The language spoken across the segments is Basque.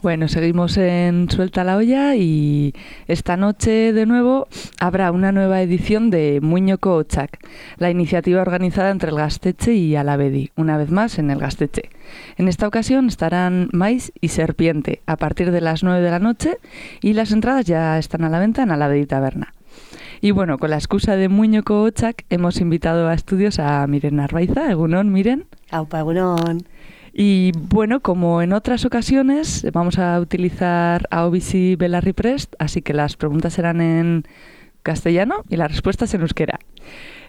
Bueno, seguimos en Suelta la Olla y esta noche de nuevo habrá una nueva edición de Muñoko Otsak, la iniciativa organizada entre el Gaztetxe y Alabedi, una vez más en el Gaztetxe. En esta ocasión estarán Mais y Serpiente a partir de las 9 de la noche y las entradas ya están a la venta en Alabedi Taberna. Y bueno, con la excusa de Muñoko Otsak hemos invitado a estudios a Miren Arbaiza. Egunon, Miren. Aupa, egunon. Y bueno, como en otras ocasiones, vamos a utilizar Ahobizi Belarri Prest, así que las preguntas serán en castellano y las respuestas en euskera.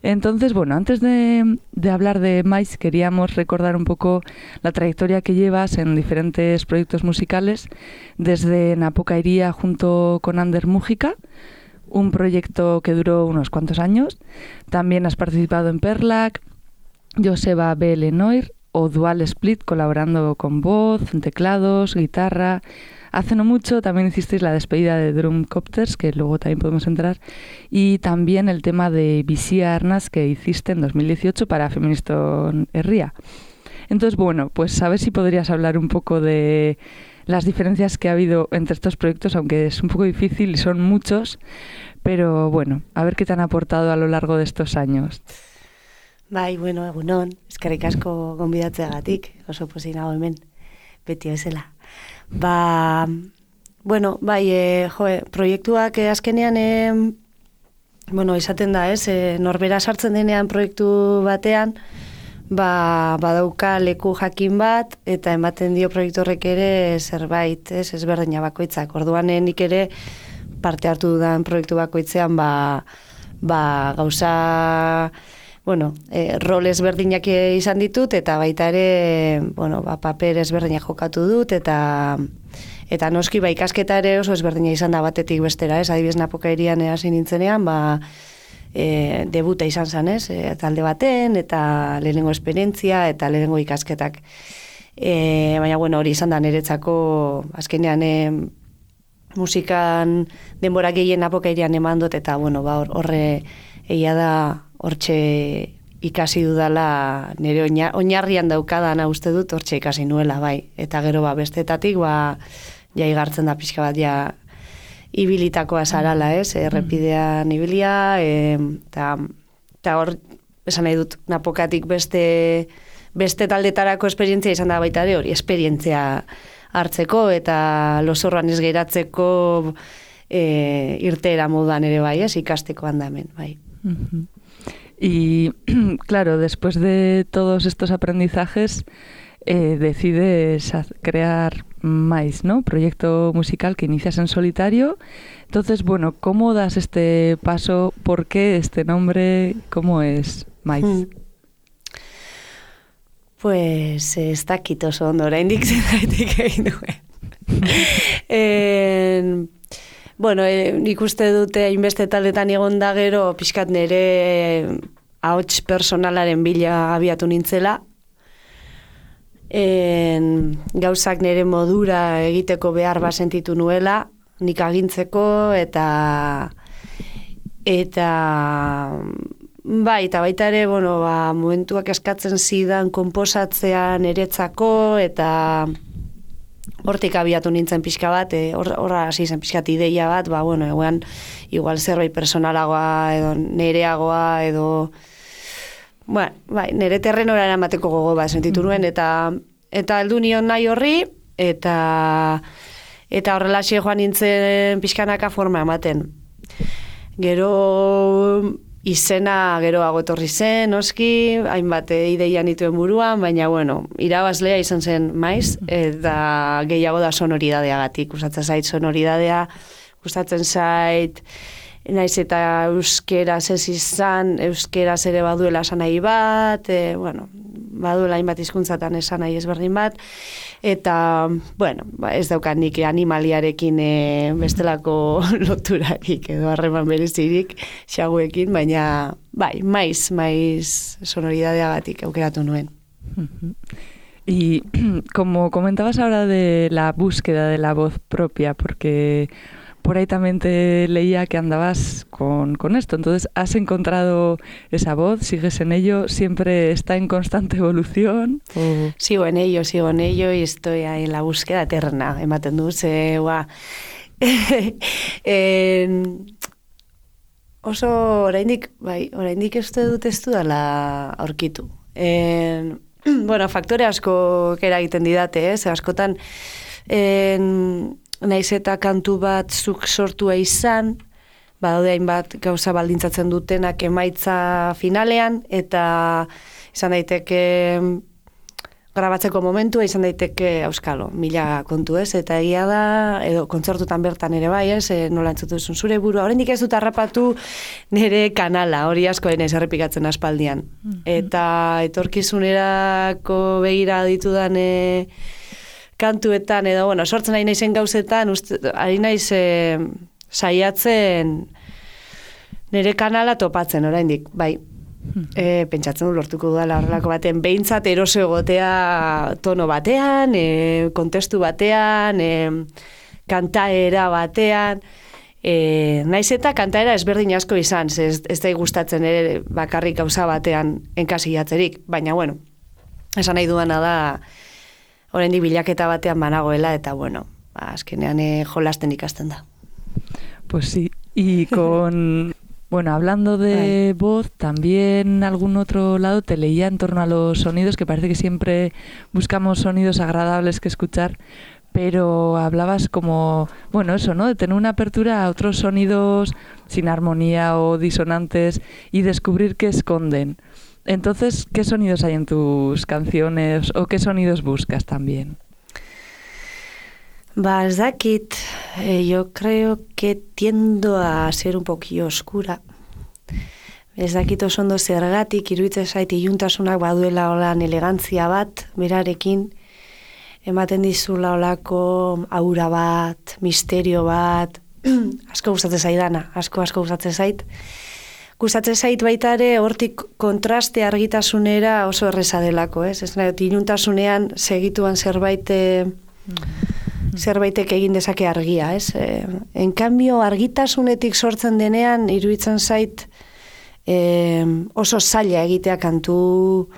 Entonces, bueno, antes de hablar de Mais, queríamos recordar un poco la trayectoria que llevas en diferentes proyectos musicales, desde Napokairia junto con Ander Mújica, un proyecto que duró unos cuantos años. También has participado en Perlac, Joseba B. Lenoir, o Dual Split, colaborando con voz, teclados, guitarra. Hace no mucho también hicisteis la despedida de Drumcopters, que luego también podemos entrar, y también el tema de Bizia Arnas que hiciste en 2018 para Feministon Herria. Entonces, bueno, pues a ver si podrías hablar un poco de las diferencias que ha habido entre estos proyectos, aunque es un poco difícil y son muchos, pero bueno, a ver qué te han aportado a lo largo de estos años. Bai, bueno, egunon, eskerrik asko gonbidatzeagatik, oso pozik nago hemen, beti bezala. Bueno, bai, proiektuak azkenean, bueno, izaten da, norbera sartzen denean proiektu batean, badauka leku jakin bat, eta ematen dio proiektu horrek ere zerbait, ezberdina bakoitzak. Orduan nik ere parte hartu dudan proiektu bakoitzean, gauza... Bueno, rol ezberdinak izan ditut, eta baita ere, bueno, paper ezberdinak jokatu dut, eta noski ikasketa ere oso ezberdina izan da batetik bestera, adibidez Napokairian hasi nintzenean, debuta izan zen, talde baten, eta lehenengo esperientzia, eta lehenengo ikasketak. Baina, bueno, hori izan da niretzako, azkenean musikan denbora gehien Napokairian eman dut, eta, bueno, horre egia da, hortxe ikasi dudala, nire oinarrian daukadana uste dut, hortxe ikasi nuela, bai. Eta gero bestetatik, ja igartzen da pixka bat, ja ibilitakoa zarala, errepidean ibilia, eta hor, esan nahi dut, Napokatik beste taldetarako esperientzia izan da baita ere, hori esperientzia hartzeko, eta losorroan ez geratzeko irteera moduan ere bai, ikasteko handamen, bai. Y claro, después de todos estos aprendizajes, decides crear Mais, ¿no? Proyecto musical que inicias en solitario. Entonces, bueno, ¿cómo das este paso? ¿Por qué este nombre? ¿Cómo es Mais? Pues ez dakit oso ondo, oraindik zergatik egin duen. Bueno, nik uste dute hainbeste taldetan egon da gero, pixkat nire ahots personalaren bila abiatu nintzela. Gauzak nire modura egiteko behar sentitu nuela, nik agintzeko, eta baita ere, bueno, momentuak eskatzen zidan konposatzea niretzako, eta hortik abiatu nintzen pixka bat, horra hasi zen pixkat ideia bat, bueno, egoan, igual zerbait personalagoa, edo nereagoa, edo, nere terrenora eramateko gogo bat sentitu nuen, eta heldu nion nahi horri, eta horrelaxe joan nintzen pixkanaka forma ematen. Gero izena geroago etorri zen, noski, hainbat ideia nituen buruan, baina, bueno, irabazlea izan zen Mais, eta gehiago da sonoridadeagatik. Gustatzen zait sonoridadea, gustatzen zait naiz eta euskeraz ez izan, euskeraz ere baduela esan nahi bat, baduela hainbat hizkuntzatan esan nahi ezberdin bat, eta, ez daukat nik animaliarekin bestelako loturarik edo harreman berezirik xaguekin, baina, maiz sonoridadeagatik aukeratu nuen. Y como comentabas ahora de la búsqueda de la voz propia, porque por ahí también te leía que andabas con esto, entonces ¿has encontrado esa voz? ¿Sigues en ello? ¿Siempre está en constante evolución? ¿O? Sigo en ello y estoy ahí en la búsqueda eterna, ematen du, oso oraindik uste dut ez dudala aurkitu. Faktore asko eragiten didate, askotan naiz eta kantu bat zuk sortua izan, badaude hainbat gauza baldintzatzen dutenak emaitza finalean, eta izan daiteke grabatzeko momentua, izan daiteke auskalo, 1000 kontu eta egia da, edo kontzertutan bertan ere bai, nola entzutu duzun zure burua, oraindik ez dut harrapatu nire kanala, hori asko denez errepikatzen aspaldian. Eta etorkizunerako begira ditudan kantuetan, edo, sortzen ari naizen gauzetan, ari naiz saiatzen nire kanala topatzen oraindik, bai. Pentsatzen du lortuko dudala horrelako baten, behintzat eroso egotea tono batean, kontestu batean, kantaera batean, naiz eta kantaera ezberdin asko izan, ez da gustatzen ere bakarrik gauza batean enkasillatzerik, baina esan nahi duana da oraindik bilaketa batean banagoela, eta azkenean jolasten ikasten da. Pues sí, y con... hablando de voz, también algún otro lado te leía en torno a los sonidos, que parece que siempre buscamos sonidos agradables que escuchar, pero hablabas como, eso, ¿no? De tener una apertura a otros sonidos sin armonía o disonantes y descubrir qué esconden. Entonces, ¿qué sonidos hay en tus canciones o qué sonidos buscas también? Ez dakit, yo creo que tiendo a ser un poquillo oscura. Ez dakit oso ondo zergatik, iruditzen zait iluntasunak baduela olan elegantzia bat, berarekin, ematen dizula olako aura bat, misterio bat, asko gustatzen zaidana, asko gustatzen zait. Gustatzen zait baita ere hortik kontraste argitasunera oso erreza delako, ez? Ez nahi, iluntasunean segituan zerbaitek egin dezake argia, ez? En cambio, argitasunetik sortzen denean, iruditzen zait oso zaila egitea kantu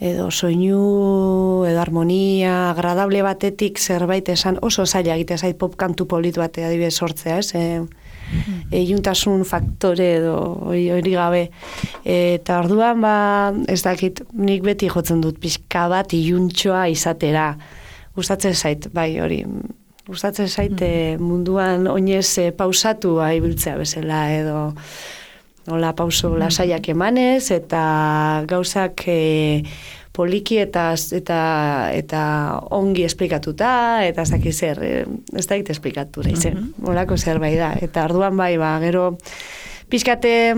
edo soinu, edo harmonia, agradable batetik zerbait esan oso zaila egitea zait pop kantu polit batea adibidez sortzea, ez? Iluntasun faktore edo hori gabe. Eta orduan, ez dakit, nik beti jotzen dut pixka bat iluntxoa izatera. Gustatzen zait, hori. Gustatzen zait munduan oinez pausatua ibiltzea bezala edo hola pauso lasaiak emanez eta gauzak poliki eta ongi esplikatuta eta ez dakit zer, ez dakit esplikatu izen. Holako zerbait da. Eta orduan gero pixkate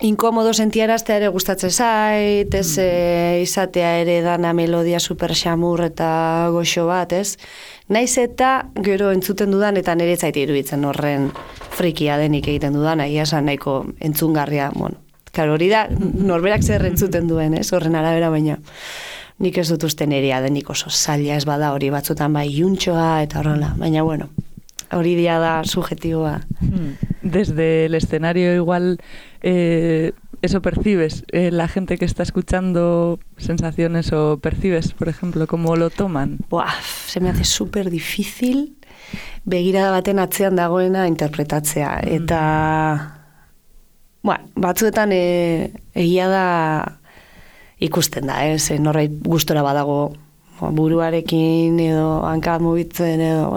inkomodo sentiaraztea ere gustatzen zait, ez izatea ere dana melodia super xamur eta goxo bat, ez? Naiz eta gero entzuten dudan eta nire zait iruditzen horren frikia denik egiten dudan, egia esan nahiko entzungarria, Karo, hori da, norberak zer entzuten duen, ez? Horren arabera baina. Nik ez dut uste nerea denik oso zaila ez bada hori batzutan iuntxoa eta horrela, baina hori dia da subjetiboa. Desde el escenario igual eso percibes, la gente que está escuchando sensaciones o percibes, por ejemplo, cómo lo toman. Se me hace súper difícil begirada baten atzean dagoena interpretatzea. Eta batzuetan egia da ikusten da, norbait gustora badago buruarekin edo hanka mugitzen edo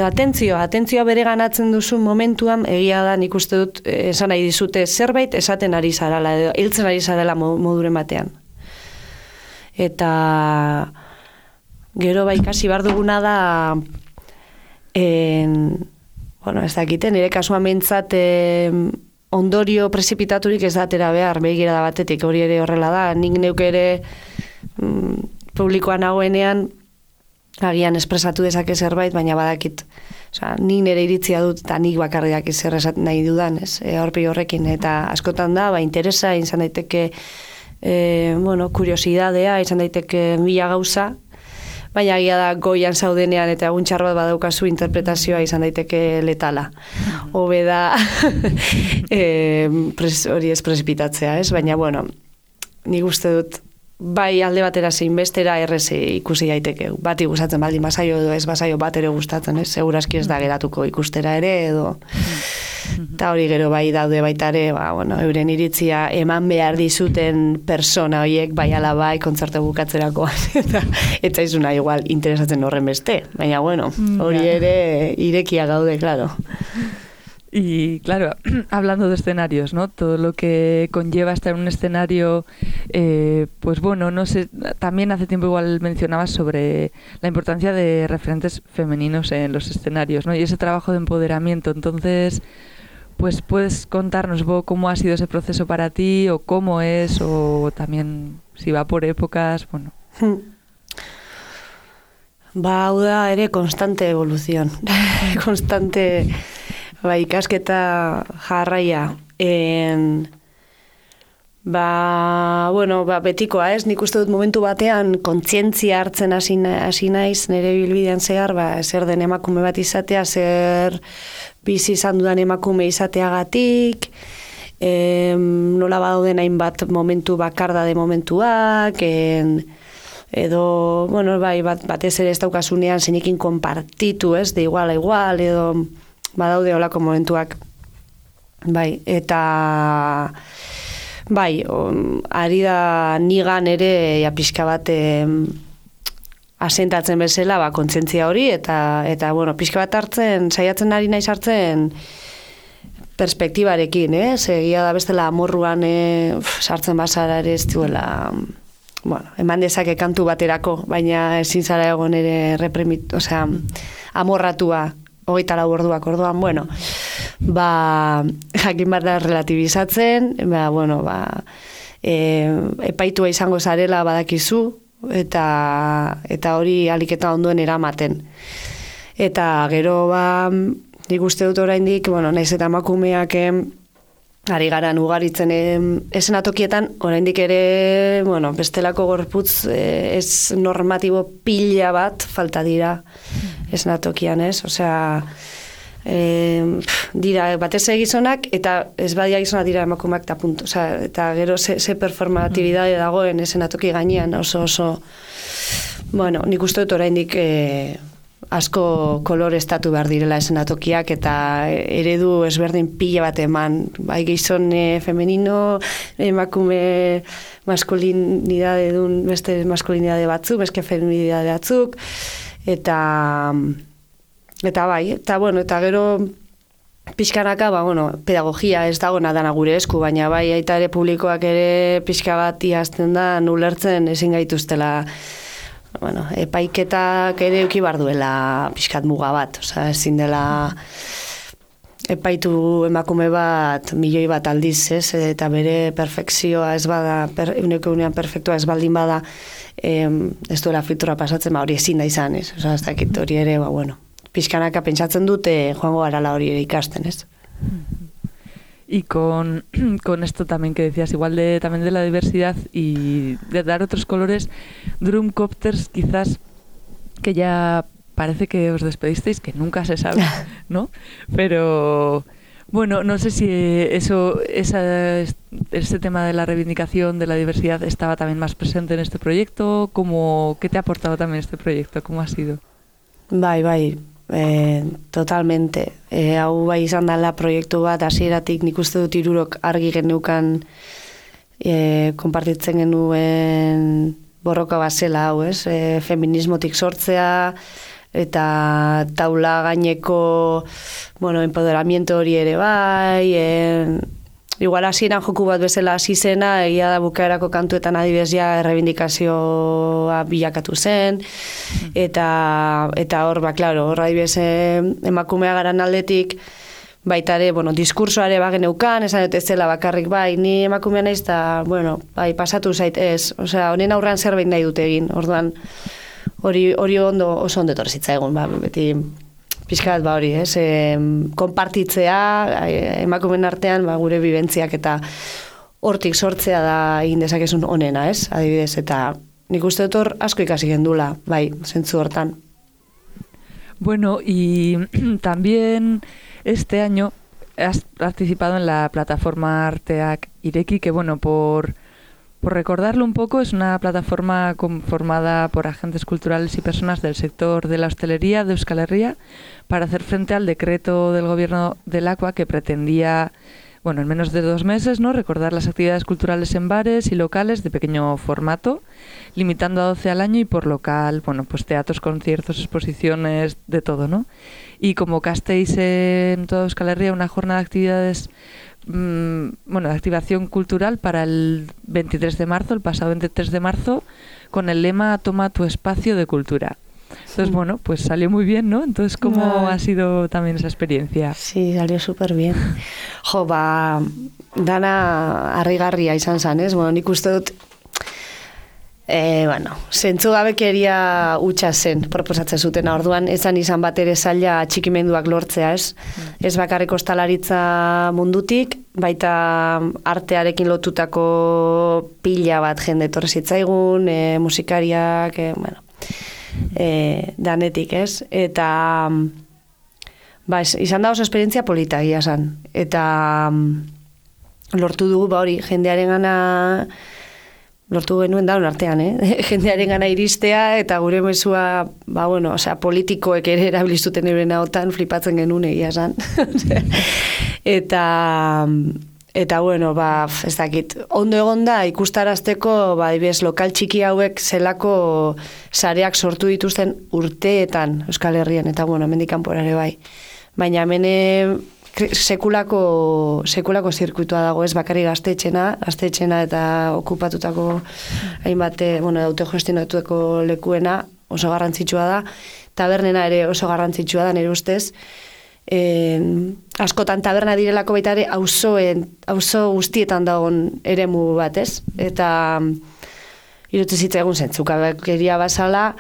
atentzioa bere ganatzen duzun momentuan egia da nik uste dut esan nahi dizute zerbait esaten ari zarala edo hiltzen ari zarela moduren batean. Eta gero ikasi behar duguna da bueno, ez dakite, nire kasuan behintzat ondorio prezipitaturik ez datera behar, begirada batetik, hori ere horrela da, nik neuk ere publikoan nagoenean, agian espresatu dezake zerbait, baina badakit, osea, nik nire iritzia dut, eta nik bakarriak zer esaten nahi dudan, ez, aurpegi horrekin, eta askotan da, interesa, izan daiteke, kuriosidadea, izan daiteke mila gauza, baina agia da goian zaudenean eta egun txar bat badaukazu interpretazioa izan daiteke letala. Hobe da hori ez prezipitatzea, ez? Baina, bueno, nik uste dut, bai alde batera zein bestera errez ikusi daiteke. Bati gustatzen baldin bazaio edo ez bazaio bat ere gustatzen, ez? Segurazki ez da geratuko ikustera ere edo... Eta hori gero bai daude baita ere, euren iritzia eman behar dizuten persona horiek bai ala bai kontzertu bukatzerakoan eta izuna igual interesatzen horren beste, baina hori ere irekia gaude, claro. Y claro, hablando de escenarios, ¿no? Todo lo que conlleva estar en un escenario, pues bueno, no sé, también hace tiempo igual mencionabas sobre la importancia de referentes femeninos en los escenarios, ¿no? Y ese trabajo de empoderamiento, entonces, pues puedes contarnos vos cómo ha sido ese proceso para ti, o cómo es, o también si va por épocas, bueno. Hau da ere constante evolución, constante... ikasketa jarraia. Betikoa ez, nik uste dut momentu batean kontzientzia hartzen hasi naiz nire bilbidean zehar, zer den emakume bat izatea, zer bizi izan dudan emakume izateagatik, nola badauden hainbat momentu bakardade momentuak, edo, batez ere ez daukasunean zeinekin konpartitu, ez, de igual a igual, edo... badaude olako momentuak, eta ari da nigan ere pixka bat asentatzen bezala kontzientzia hori, eta pixka bat hartzen, saiatzen ari naiz hartzen perspektibarekin, egia da bestela amorruan sartzen bazara ere ez duela, eman dezake kantu baterako, baina ezin zara egon ere amorratua, 24 orduak orduan, jakin bat da relatibizatzen, epaitua izango zarela badakizu, eta hori aliketa ondoen eramaten. Eta gero, nik uste dut oraindik, naiz eta emakumeak ari garan ugaritzen esenatokietan, oraindik ere, bestelako gorputz ez normatibo pila bat falta dira esenatokian, ez? Osea, dira batez gizonak, eta ez badia gizonak dira emakumeak eta punto. Osea, eta gero ze performatibidade dagoen esenatoki gainean, oso, nik uste dut oraindik asko koloreztatu behar direla esenatokiak, eta eredu ezberdin pila bat eman, bai gizon femenino, emakume maskulinidade dun, beste maskulinidade batzuk, beste feminidade batzuk, eta gero pixkanaka, pedagogia ez dagoena dana gure esku, baina aita ere publikoak ere pixka bat iazten da, ulertzen ezin gaituztela, epaiketak ere euki bar duela pixkat muga bat, ezin dela epaitu emakume bat milioi bat aldiz, eta bere perfekzioa ez bada, euneko unean perfektua ez baldin bada, ez duela filtra pasatzen, hori ezin da izan, ez dakit hori ere, pixkanaka pentsatzen dute joango garala hori ere ikasten, ez? Y con esto también que decías, igual también de la diversidad y de dar otros colores, Drumcopters quizás que ya parece que os despedisteis, que nunca se sabe, ¿no? Pero no sé si ese tema de la reivindicación de la diversidad estaba también más presente en este proyecto. ¿Qué te ha aportado también este proyecto? ¿Cómo ha sido? Totalmente. Hau izan dela proiektu bat, hasieratik nik uste dut 3 argi geneukan konpartitzen genuen borroka bazela hau, ez? Feminismotik sortzea, eta taula gaineko, empoderamiento hori ere bai, igual hasieran joku bat bezala hasi zena, egia da bukaerako kantuetan adibidez ja errebindikazioa bilakatu zen, eta hor, klaro, hor adibidez emakumea garan aldetik, baita ere, diskursoare bageneukan, esan dut ez zela bakarrik, bai, ni emakumea naiz, eta, bai, pasatu zait ez, osea, honen aurrean zerbait nahi dute egin, orduan, hori oso ondo etorri egun, beti, pixkat, hori, konpartitzea, emakumen artean, gure bibentziak eta hortik sortzea da egin dezakezun onena, adibidez, eta nik uste dut hor asko ikasi gendula, bai, zentzu hortan. Bueno, y también este año has participado en la plataforma Arteak Ireki, que bueno, por recordarlo un poco, es una plataforma conformada por agentes culturales y personas del sector de la hostelería de Euskal Herria para hacer frente al decreto del gobierno del Aqua que pretendía, en menos de 2 meses, ¿no?, recordar las actividades culturales en bares y locales de pequeño formato, limitando a 12 al año y por local, pues teatros, conciertos, exposiciones, de todo, ¿no? Y convocasteis en toda Euskal Herria una jornada de actividades de activación cultural para el 23 de marzo, el pasado 23 de marzo, con el lema Toma tu espacio de cultura. Entonces, pues salió muy bien, ¿no? Entonces, ¿cómo ha sido también esa experiencia? Sí, salió súper bien. Jo, dana harrigarria izan zan, ez? Nik uste dut, zentzugabekeria hutsa zen proposatzen zuten, orduan ezan izan bat ere zaila txikimenduak lortzea, ez? Ez bakarrik ostalaritza mundutik, baita artearekin lotutako pila bat jende etorri zitzaigun, musikariak, danetik, ez? Eta izan da oso esperientzia polita egia zan. Eta lortu dugu, hori, jendearen gana lortu genuen daun artean, jendearen gana iristea, eta gure mezua, politikoek ere erabiliztuten euren hautan, flipatzen genuen egia zan. Eta, ez dakit, ondo egon da ikustarazteko, ibez, lokal txiki hauek zelako sareak sortu dituzten urteetan Euskal Herrian, eta, hemendik kanpora ere bai. Baina hemen sekulako zirkuitua dago, ez bakarrik gaztetxena eta okupatutako hainbat, autogestionatueko lekuena oso garrantzitsua da, tabernena ere oso garrantzitsua da, nire ustez, askotan taberna direlako baita ere auzo guztietan dagoen eremu bat, ez? Eta irutze zitzaigun zentzukabekeria bazala,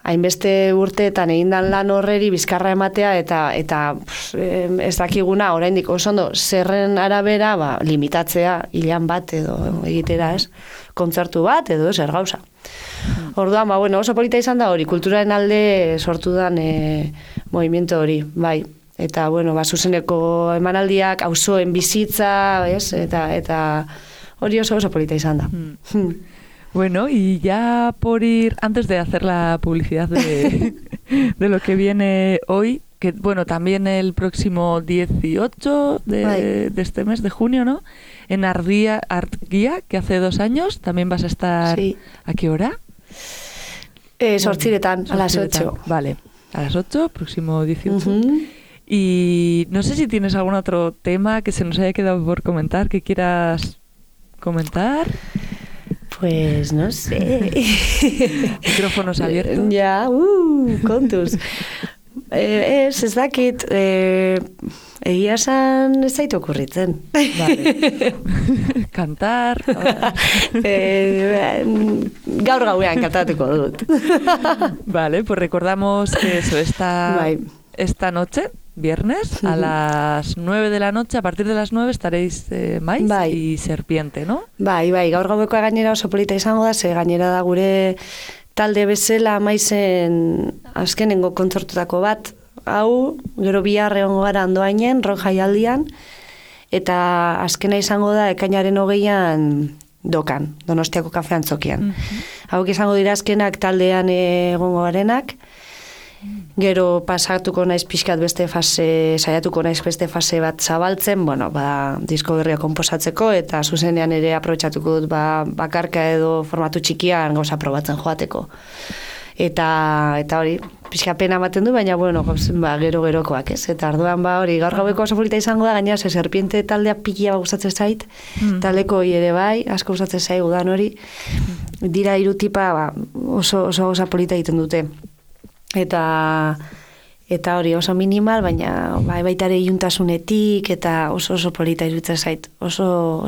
hainbeste urteetan egindan lan horreri bizkarra ematea eta ez dakiguna oraindik oso ondo zerren arabera limitatzea hilan bat edo egitera, ez? Kontzertu bat edo zer gauza. Orduan, oso polita izan da hori, kulturaren alde sortu dan movimiento hori, bai. Eta, zuzeneko emanaldiak, auzoen bizitza, ez? Eta hori oso polita izan da. Bueno, y ya por ir, antes de hacer la publicidad de lo que viene hoy, que también el próximo 18 de este mes de junio, ¿no? En Artguía, que hace 2 años, también vas a estar... Sí. ¿A qué hora? Sortziretan, a las 8. Vale, a las 8, próximo 18. Y no sé si tienes algún otro tema que se nos haya quedado por comentar, que quieras comentar. Pues no sé. Micrófonos abiertos. Ja, kontuz. Ez dakit, egia esan ez zaitu okurritzen. Vale. Cantar. Gaur gauean kantatuko dut. Vale, pues recordamos que eso, esta noche, viernes, a las 9 de la noche, a partir de las 9 estaréis Mais y Serpiente, ¿no? Bai, gaur gauekoa gainera oso polita izango da, ze gainera da gure talde bezala Maizen azkenengo kontzertutako bat, hau, gero bihar egongo gara Andoainen, rock jaialdian, eta azkena izango da ekainaren 20an Dokan, Donostiako kafean zokian. Hauek izango dira azkenak taldean egongo garenak, gero pasatuko naiz pixkat beste fase, saiatuko naiz beste fase bat zabaltzen, disko berria konposatzeko, eta zuzenean ere aprobetxatuko dut bakarka edo formatu txikian gauza probatzen joateko. Eta hori, pixka pena ematen du, baina, bueno, gero-gerokoak, ez? Eta orduan, hori, gaur gaueko oso polita izango da, gaina, serpiente taldea pikia gustatzen zait, taleko ere bai, asko gustatzen zait, udan hori, dira 3 tipa, oso polita egiten dute. Eta hori oso minimal, baina baita ere iuntasunetik, eta oso polita iruditzen zait. Oso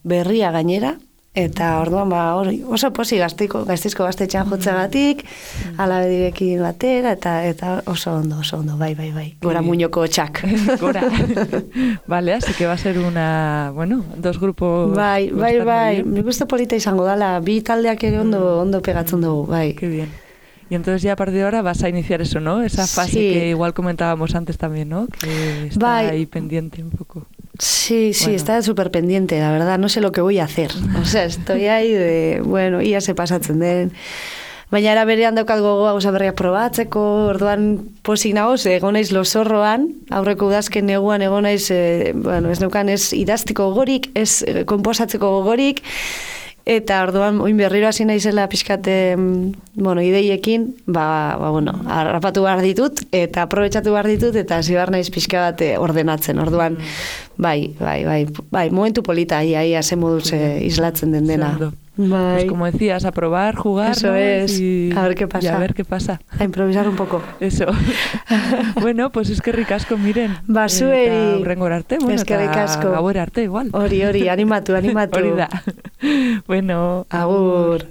berria gainera, eta orduan hori oso posi gaiztizko gaztetxean jotzagatik, alabe direkin batera, eta oso ondo, bai. Gora muñoko txak. Gora. Vale, así que va a ser dos grupos... Bai, mi gusto polita izango dala, 2 taldeak ere ondo pegatzen dugu, bai. Qué bien. Y entonces ya a partir de ahora vas a iniciar eso, ¿no? Esa fase que igual comentábamos antes también, ¿no? Que está ahí pendiente un poco. Sí, está súper pendiente, la verdad, no sé lo que voy a hacer. O sea, estoy ahí ia se pasatzen den. Baina era berean daukat gogoa gauza berriak probatzeko, orduan posik nagoz, egon naiz Losorroan, aurreko udazken neguan egon naiz, ez neukan ez idaztiko gogorik, ez konposatzeko gogorik, eta orduan oin berriro hasi naizela pixkat, ideiekin, harrapatu behar ditut, eta aprobetxatu behar ditut, eta hasi behar naiz pixka bat ordenatzen. Orduan, bai, momentu polita, ia ze moduz islatzen den dena. Pues como decías, a probar, jugar, eso, ¿no? Es, a ver qué pasa. Y a ver qué pasa. A improvisar un poco. Eso. Bueno, pues es que ricasco, miren. Zueri. Urrengor arte, eta gauer arte igual. Hori, animatu. Hori da. Bueno, agur.